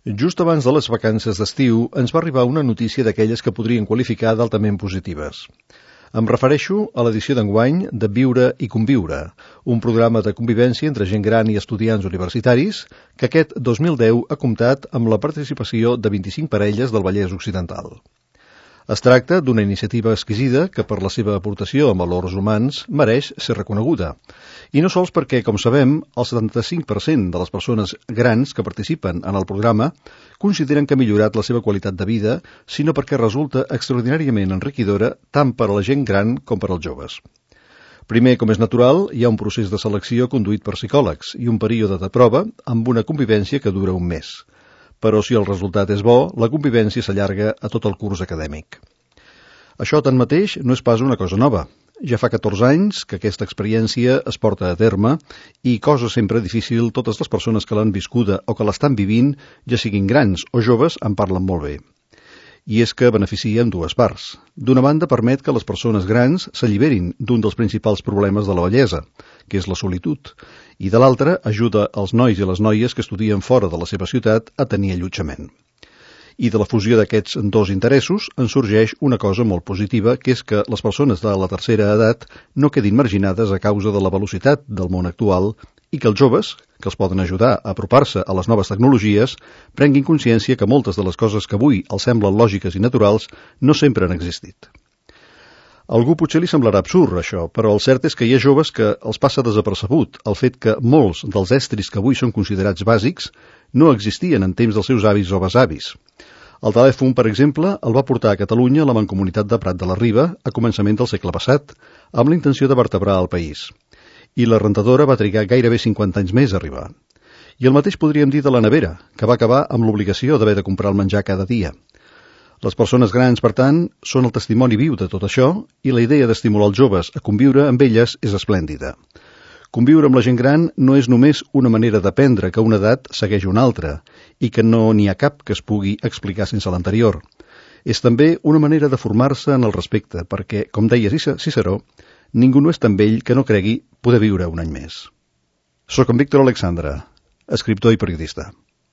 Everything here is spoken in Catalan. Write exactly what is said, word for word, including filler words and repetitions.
Just abans de les vacances d'estiu ens va arribar una notícia d'aquelles que podrien qualificar d'altament positives. Em refereixo a l'edició d'enguany de Viure i Conviure, un programa de convivència entre gent gran i estudiants universitaris que aquest dos mil deu ha comptat amb la participació de vint-i-cinc parelles del Vallès Occidental. Es tracta d'una iniciativa exquisida que, per la seva aportació en valors humans, mereix ser reconeguda. I no sols perquè, com sabem, el setanta-cinc per cent de les persones grans que participen en el programa consideren que ha millorat la seva qualitat de vida, sinó perquè resulta extraordinàriament enriquidora tant per a la gent gran com per als joves. Primer, com és natural, hi ha un procés de selecció conduït per psicòlegs i un període de prova amb una convivència que dura un mes. Però si el resultat és bo, la convivència s'allarga a tot el curs acadèmic. Això, tanmateix, no és pas una cosa nova. Ja fa catorze anys que aquesta experiència es porta a terme i, cosa sempre difícil, totes les persones que l'han viscuda o que l'estan vivint, ja siguin grans o joves, en parlen molt bé. I és que beneficia en dues parts. D'una banda, permet que les persones grans s'alliberin d'un dels principals problemes de la vellesa, que és la solitud, i de l'altra, ajuda els nois i les noies que estudien fora de la seva ciutat a tenir allotjament. I de la fusió d'aquests dos interessos en sorgeix una cosa molt positiva, que és que les persones de la tercera edat no quedin marginades a causa de la velocitat del món actual i que els joves, que els poden ajudar a apropar-se a les noves tecnologies, prenguin consciència que moltes de les coses que avui els semblen lògiques i naturals no sempre han existit. A algú potser li semblarà absurd, això, però el cert és que hi ha joves que els passa desapercebut el fet que molts dels estris que avui són considerats bàsics no existien en temps dels seus avis o besavis. El telèfon, per exemple, el va portar a Catalunya la Mancomunitat de Prat de la Riba a començament del segle passat, amb la intenció de vertebrar el país. I la rentadora va trigar gairebé cinquanta anys més a arribar. I el mateix podríem dir de la nevera, que va acabar amb l'obligació d'haver de comprar el menjar cada dia. Les persones grans, per tant, són el testimoni viu de tot això i la idea d'estimular els joves a conviure amb elles és esplèndida. Conviure amb la gent gran no és només una manera d'aprendre que una edat segueix una altra i que no n'hi ha cap que es pugui explicar sense l'anterior. És també una manera de formar-se en el respecte perquè, com deia Ciceró, ningú no és tan vell que no cregui poder viure un any més. Soc en Víctor Alexandre, escriptor i periodista.